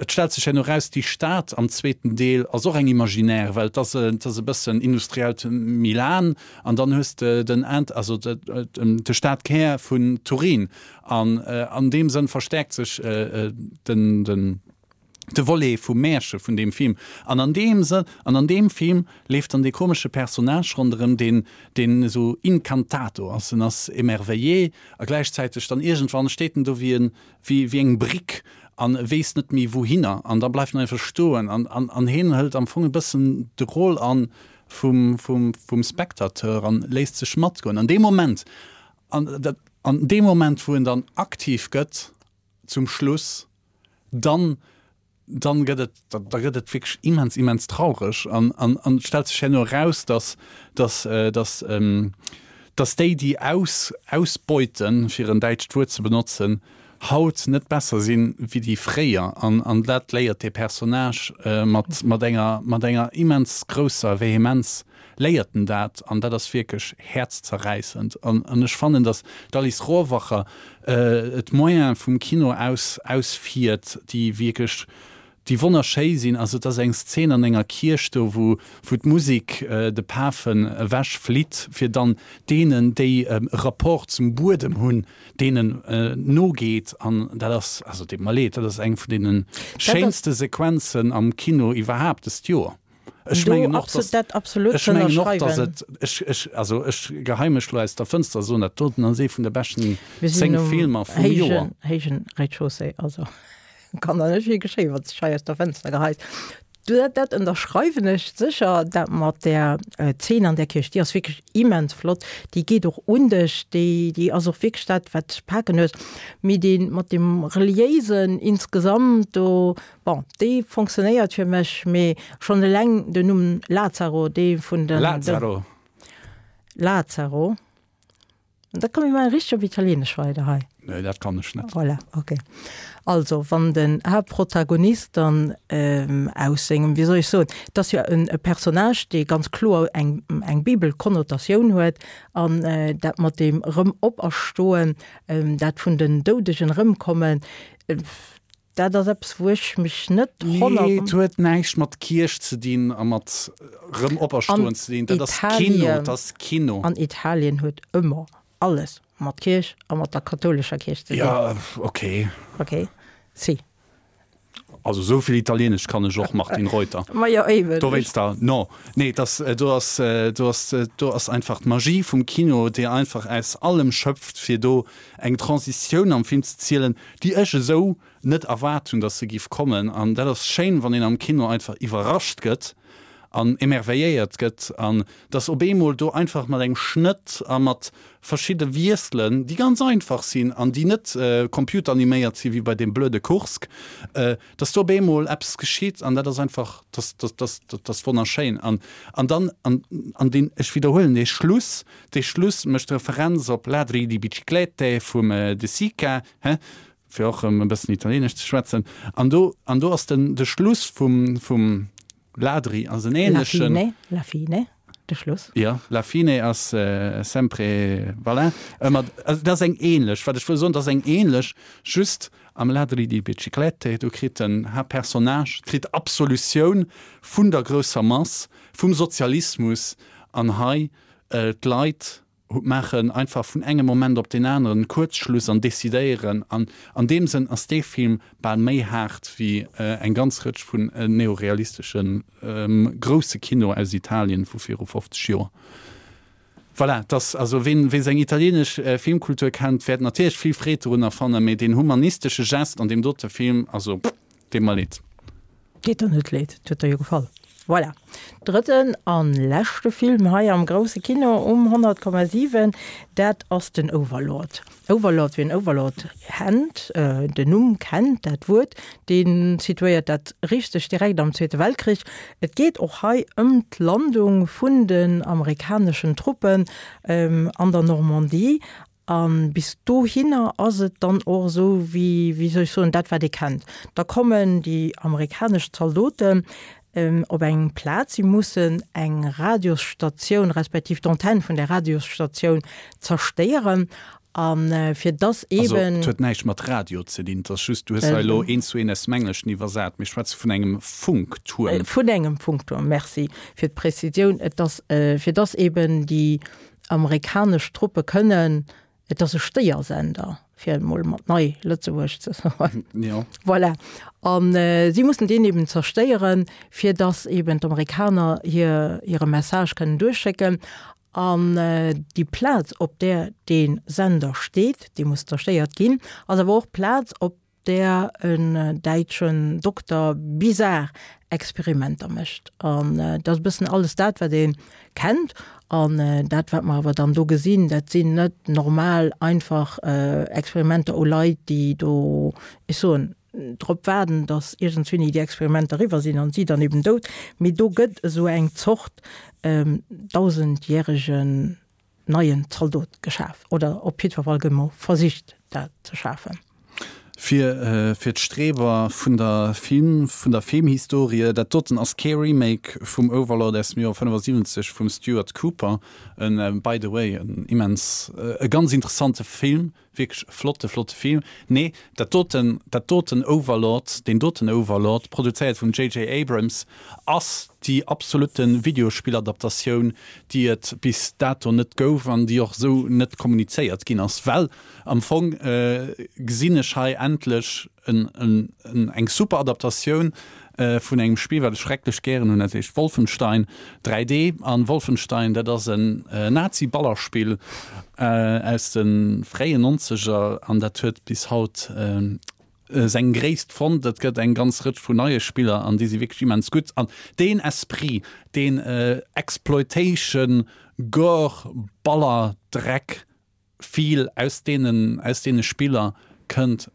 [SPEAKER 2] et stellt sech herno eraus, déi Stad am zweeten Deel ass och eng imaginaire, well et ass et ass e bëssen industriellt Milan an dann hues de den Ent, also de Stadkär vun Turin. An an deem Sënn verstäerkt sech den den de Volet vum Märche vun deem Film. An an deem Sënn, an an deem Film leeft dann dee komesche Personnage ronderëm, deen, deen esou incantato ass, en ass émerveillé a gläichzäiteg dann iergendwann steet en do wéi en, wéi, wéi eng Brick an weess net méi wouhinner an da bleift en einfach stoen an, an, an hien hëlt am Fong e bëssen de Rôle an vum, vum, vum Spectateur an léisst sech matgoen. An deem Moment, an dat, an deem Moment wou en dann aktiv gëtt zum Schluss, dann, dann gëtt et, da, da gëtt et wierklech immens, immens traureg an, an, an et stellt sech herno eraus, dass, dass, dass, dass déi, déi aus, ausbeuten, fir en däitscht Wuert ze benotzen, haut net besser sinn wéi déi fréier. An, an dat léiert dee Personnage mat, mat enger, mat enger immens grousser Vehemenz léiert en dat. An dat ass wierklech häerzzerräissend. An, an ech fannen, dass d'Alice Rohrwacher d'Moyene vum Kino aus, ausfiert, déi wierklech, déi wonnerschéi sinn. Also et ass eng Szen an enger Kierch do, wou, wou d'Musek de Pafen ewech flitt, fir dann deenen, déi e Rapport zum Buedem hunn, deenen nogeet. An dat ass, also deet mer leed, dat ass eng vun deene schéinste Sequenzen am Kino iwwerhaapt dëst Joer. Ech mengen och, dass, ech mengen och, dass et, ech, ech, also ech geheie mech lo aus der Fënster a soen, dat doten ass ee vun de beschten zéng Filmer vum Joer.
[SPEAKER 1] Héijen Rez-de-chaussée, also kann der net vill geschéien, wann s de dech hei aus der Fënster geheis. Dat, dat ënnerschreiwen ech sécher, dat mat där Zeen an där Kierch, déi ass wierklech immens flott, déi geet och un dech, déi, déi ass och wierklech dat, wat dech paken huet. Mee dee mat deem Reliéisen insgesamt do, bon, dee fonctionnéiert fir mech, mee schonn eleng den Numm Lazaro, dee vun den.
[SPEAKER 2] Lazaro.
[SPEAKER 1] Lazaro. Da komme mir richteg op Italienesch weider hei.
[SPEAKER 2] Nee, dat kann ech net.
[SPEAKER 1] Voilà, okay. Also, wann den Haaptprotagonist dann ähm, aus sengem, wéi soll ech soen, et ass jo en e Personnage, dee ganz kloer eng, eng Bibelkonnotatioun huet, an äh, dat mat deem erëm Operstoen, ähm, dat vun den Doudegen erëmkommen, äh, dat ass eppes, wou ech mech net
[SPEAKER 2] honnert. Nee, et huet näischt mat Kierch ze dinn a mat erëm Operstoen ze dinn. Dat ass Kino, dat ass Kino.
[SPEAKER 1] An Italien huet ëmmer alles mat Kierch a mat der kathoulescher Kierch ze
[SPEAKER 2] dinn. Ja, okay.
[SPEAKER 1] Okay, si.
[SPEAKER 2] Also esou vill Italienesch kann ech och, Martine Reuter.
[SPEAKER 1] Ma jo, eben.
[SPEAKER 2] Dowéinster, no. Nee, dass, do ass, do ass, do ass einfach d'Magie vum Kino, déi einfach aus allem schöpft, fir do eng Transitioun am Film ze zielen, déi ech esou net erwaart hunn, dass se giff kommen. An dat ass schéin, wann een am Kino einfach iwwerrascht gëtt an émerveilléiert gëtt an dass op eemol do einfach mat engem Schnëtt a mat verschidde Wiesselen, déi ganz einfach sinn an déi net computeraniméiert sinn, wéi bei deem blöde Kursk, dass do op eemol eppes geschitt an dat ass einfach, dass, dass, dass, dat ass wonnerschéin. An, an dann, an, an deen, ech widderhuelen, dee Schluss, dee Schluss mécht Referenz op Ladri di biciclette vum De Sica, hä, fir och erëm e bëssen Italieenesch ze schwätzen. An do, an do ass den, de Schluss vum, vum Ladri ass en ähnlechen.
[SPEAKER 1] La fine, la fine, de Schluss.
[SPEAKER 2] Jo, la fine ass sempre, voilà, ëmmer, also dat ass eng ähnlech, wat ech wëll soen, dat ass eng ähnlech, just am Ladri di biciclette, do kritt den Haaptpersonnage, kritt Absolutioun vun der grousser Mass, vum Sozialismus, an hei d'Leit maachen einfach vun engem Moment op deen aneren Kuerzschluss an decidéieren. An an deem Sënn ass dee Film bal méi haart wéi eng ganz Rëtsch vun neorealistesche grousse Kino aus Italien vu viru fofzeg Joer. Voilà, et ass also, ween wee seng italienesch Filmkultur kennt, wäert natierlech vill Freed dorunner fannen, mee deen humanistesche Gest an deem dote Film, also, deet mer leed.
[SPEAKER 1] Deet der net leed, et huet der jo gefall. Voilà. Drëtten an leschte Film hei am grousse Kino um honnert Komma siwen, dat ass den Overlord. Overlord, wien Overlord kennt, den Numm kennt, dat Wuert, dee situéiert dat richteg direkt am Zweete Weltkrich. Et geet och hei ëm d'Landung vun den amerikaneschen Truppen an der Normandie. A bis dohinner ass et dann och esou wéi, wéi soll ech soen, dat wat ee kennt. Da kommen déi amerikanesch Zaldoten op eng Plaz, si mussen eng Radiosstatioun respektiv d'Antenne vun där Radiosstatioun zerstéieren. A fir dass
[SPEAKER 2] Also,
[SPEAKER 1] eeben.
[SPEAKER 2] et huet näischt mat Radio ze dinn, et ass just, du hues hei elo eent zu eent aus dem Engleschen iwwersat. Mir schwätze vun engem Funktuerm.
[SPEAKER 1] Vun engem Funktuerm, merci fir d'Prezisioun. Et ass, fir dass eeben déi amerikanesch Truppe kënnen, et ass e Stéiersender, fir et emol mat nei Lëtzebuerg ze soen.
[SPEAKER 2] Jo.
[SPEAKER 1] Voilà. A si mussen deen eben zerstéieren, fir dass eben d'Amerikaner hir, hire Message kënnen duerchschécken. An déi Plaz, op där dee Sender steet, dee muss zerstéiert ginn, ass awer och d'Plaz, op där en däitschen Dokter bizar Experimenter mécht. An dat ass e bëssen alles dat, wat ee kennt. An dat, wat mer awer dann do gesinn, dat sinn net normal einfach Experimenter u Leit, déi do, ech soen, drop waarden, datt iergendswéini déi Experimenter eriwwer sinn an si dann eben dout. Mee do gëtt esou eng Zort dausendjäregen neien Zaldot geschaf, oder op jiddwer Fall gëtt emol versicht, dat ze schafen.
[SPEAKER 2] Fir fir d'Streber vun der Film, vun der Filmhistorie, dat doten ass kee Remake vum Overlord aus dem Joer fënnefasiwwenzeg vum Stuart Cooper, en by the way en immens, e ganz interessante Film, wierklech e flotte, flotte Film. Nee, dat doten, dat doten Overlord, deen doten Overlord, produzéiert vum JJ. Abrams, ass déi absolutte Videospilladaptatioun, déi et bis dato net gouf an déi och esou net kommunizéiert ginn ass. Well am Fong gesinn ech hei endlech en, en, en, eng super Adaptatioun vun engem Spill, wat ech schrecklech gären hunn, dat heescht Wolfenstein dräi D. An Wolfenstein, dat ass en Nazi-Ballerspill aus de fréien Nonzeger an dat huet bis haut seng Gréisst fonnt. Et gëtt eng ganz Rëtsch vun neie Spiller an déi si wierklech immens gutt. An deen Esprit, deen Exploitation, Gore, Baller, Dreck, Feel aus deenen, aus deene Spiller kënnt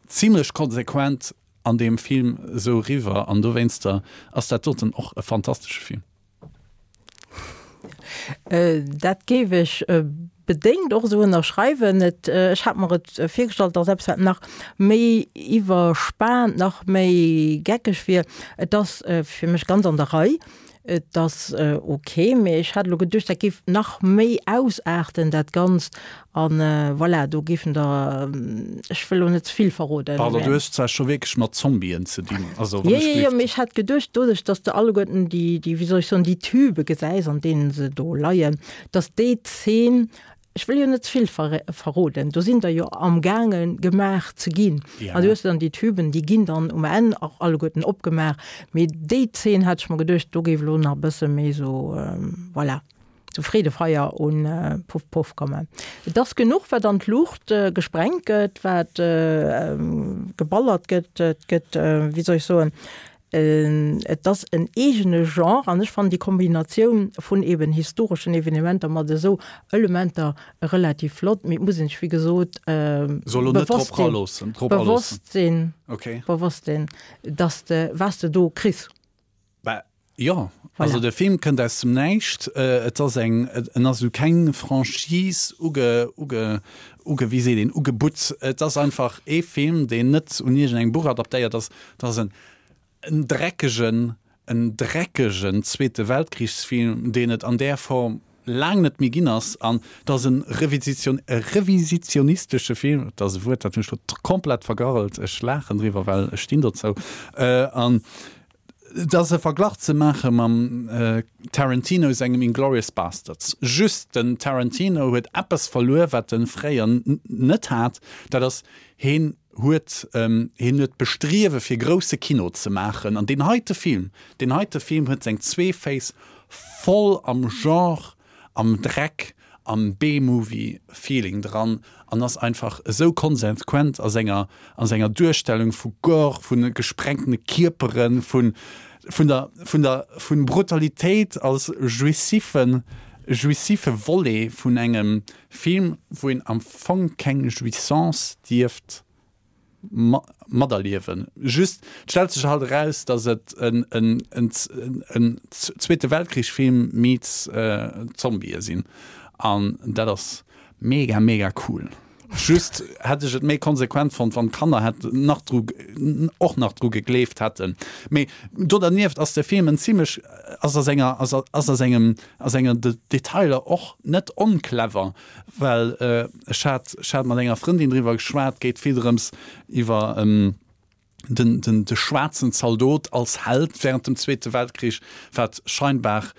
[SPEAKER 2] zimlech konsequent an deem Film esou eriwwer an dowéinster ass dat doten och e fantastesche Film.
[SPEAKER 1] Dat géif ech bedéngt och esou ënnerschreiwen. Et, ech hat mer et virgestallt, datt eppes wat nach méi iwwerspaant, nach méi geckeg wier. Et ass fir mech ganz an der Rei. Et ass ok, mee ech hat elo geduecht, dat géif nach méi ausaarten dat Ganzt an voilà, do géifen der, ech wëll elo net ze vill verroden.
[SPEAKER 2] Pardon, du hues zwar scho wierklech mat Zombien ze dinn, also
[SPEAKER 1] wann ech gleeft. Jo, jo, mee ech hat geduecht, doduerch dass de alleguerten déi, déi, wéi soll ech soen, déi Tübe gesäis, an deenen se do leien, dass déi Zeen, Ech wëll jo net ze vill verroden, do sinn der jo amgaange gemaach ze ginn. An du hues dann déi Tüben, déi ginn dann um Enn och alleguerten opgemaach. Mee déi Zeen hat ech mer geduecht, do géif elo nach e bësse méi esou, voilà, esou Freedefeier un Puff Puff kommen. Et ass genuch, wat an d'Luucht gesprengt gëtt, wat geballert gëtt. Et gëtt, wéi soll ech soen, Et ass en eegene Genre an ech fannen déi Kombinatioun vun eben historeschen Evenementer mat esou Elementer relativ flott, mee et muss een sech wéi gesot bewosst sinn, bewosst sinn, dass de, wat s de do kriss.
[SPEAKER 2] Bah jo, also de Film kënnt aus dem Näischt. Et ass eng, en ass esou keng Franchise uge, uge, uge, wéi seet een, ugebutt. Et ass einfach ee Film, deen net un iergendengem Buch adaptéiert ass. Et ass en En dreckegen, en dreckegen Zweete Weltkrichsfilm, deen et an där Form laang net méi ginn ass. An et ass e Revisitio, e revisionistesche Film, dat ass e Wuert, dat hunn ech elo komplett vergarrelt, ech laachen driwwer, well ech stinn dozou. An et ass e Verglach ze maache mam Tarantino sengem Inglourious Basterds. Just den Tarantino huet eppes verluer, wat e fréier net hat, dat ass, heen huet hien huet d'Bestriewe fir grousse Kino ze maachen an deen heite Film, deen heite Film huet seng zwee Féiss voll am Genre, am Dreck, am B-Movie-Feeling dran an ass einfach esou konsequent a senger a senger Duerstellung vu Gore, vu gesprengtene Kierperen, vun vun der vun der vun Brutalitéit als jouissiven jouissive Volet vun engem Film, wou een am Fong keng Jouissance dierft materliewen. Just, et stellt sech halt eraus, dass et en en en en Zweete Weltkrich-Film meets Zombië sinn an dat ass mega mega cool. Just hätt ech et méi konsequent fonnt, wann d'Kanner hätt nach dru och nach dru gegleeft hätten. Mee do dernieft ass de Film en zimmlech ass a senger ass a sengem a sengen Detailer och net onclever, well ech hat ech hat mat enger Frëndin driwwer geschwat, geet vill drëms iwwer den den de schwaarzen Zaldot als Held während dem Zweete Weltkrich, wat scheinbar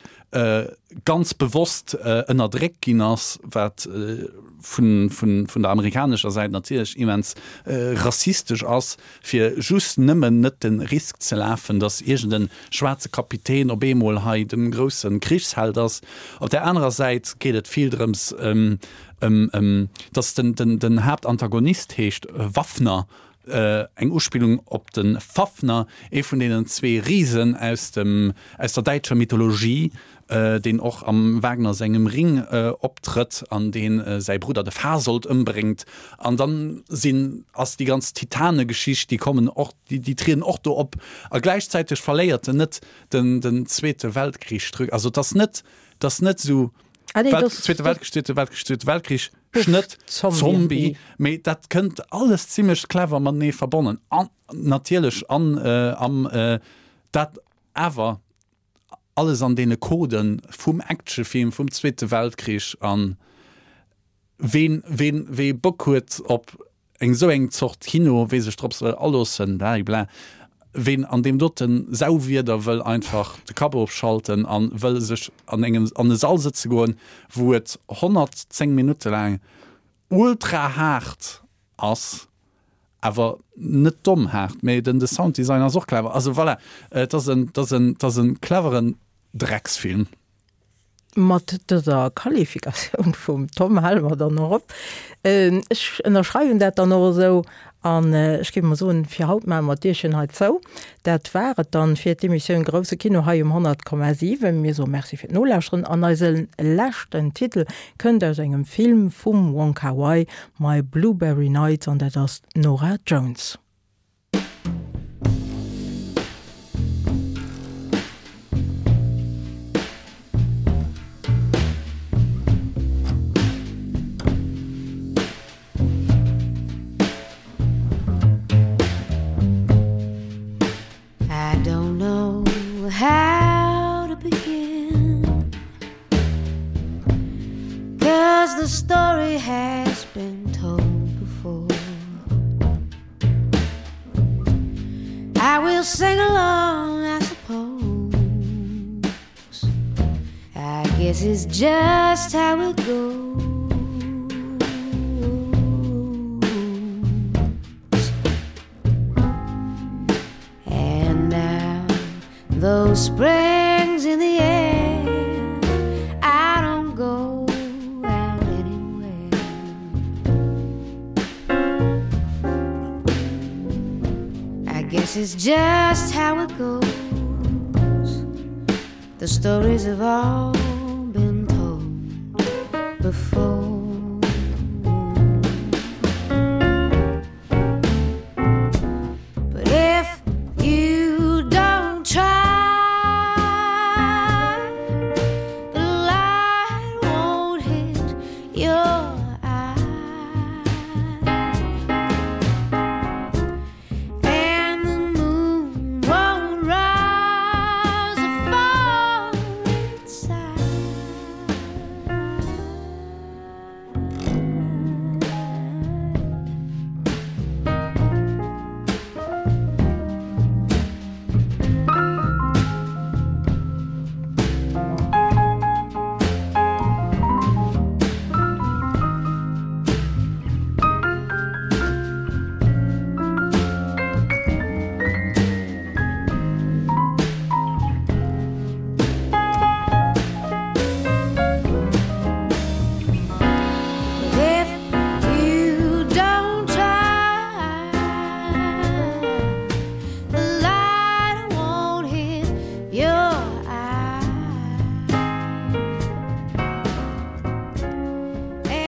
[SPEAKER 2] ganz bewosst ënnerdréckt ginn ass, wat vun vun vun der amerikanescher Säit natierlech immens rassistesch ass, fir just nëmmen net de Risk ze lafen, datt iergend e schwaarze Kapitän op eemol hei de grousse Krichsheld ass. Op där anerer Säit geet et vill drëms ëm ëm datt den den den Haaptantagonist heescht Waffner, eng Uspillung op de Fafner, ee vun deenen zwee Risen aus dem, aus der däitscher Mythologie, deen och am Wagner sengem Ring optrëtt an dee säi Brudder de Fasold ëmbréngt. An dann sinn, ass déi ganz Titanegeschicht, déi kommen och, déi, déi trieden och do op. A gläichzäiteg verléiert en net den, den Zweete Weltkrich. Also et ass net, et ass net esou,
[SPEAKER 1] Ah nee,
[SPEAKER 2] Welt,
[SPEAKER 1] das,
[SPEAKER 2] Zweete
[SPEAKER 1] das,
[SPEAKER 2] Weltkrich, Zweete Weltkrich, Zweete Weltkrich, Schnëtt,
[SPEAKER 1] Zombie.
[SPEAKER 2] Zombie, mee dat kënnt alles zimmlech clever matenee verbonnen. An natierlech an äh, am äh, dat awer alles an deene Coden vum Actionfilm vum Zweete Weltkrich an ween, ween, wee Bock huet op eng sou eng Zort Kino, wee sech drop wëll aloossen, blablabla, ween an deem doten Sauwieder wëll einfach de Kapp ofschalten an wëll sech an engem an e Sall sëtze goen, wou et honnertzéng Minutte laang ultra haart ass, awer net domm haart, mee den de Sounddesign ass och clever. Also voilà, et ass en, et ass en, et ass en cleveren Drecksfilm.
[SPEAKER 1] Mat dëser Qualifikatioun vum Tom hale mer dann och op. Ech ënnerschreiwen dat dann och esou an ech géif mol soen, fir haut maache mer d'Dierchen hei zou. Dat war et dann fir d'Emissioun Grousse Kino hei um honnert Komma siwen. Mir soe Merci fir d'Nolauschteren an eise leschten Titel kënnt aus engem Film vum Wong Kar-wai, My Blueberry Nights, an dat ass d'Norah Jones.
[SPEAKER 3] I don't know how to begin Cause the story has been told before I will sing along, I suppose I guess it's just how it goes And now though spring's in the air I don't go out anywhere I guess it's just how it goes The stories have all been told before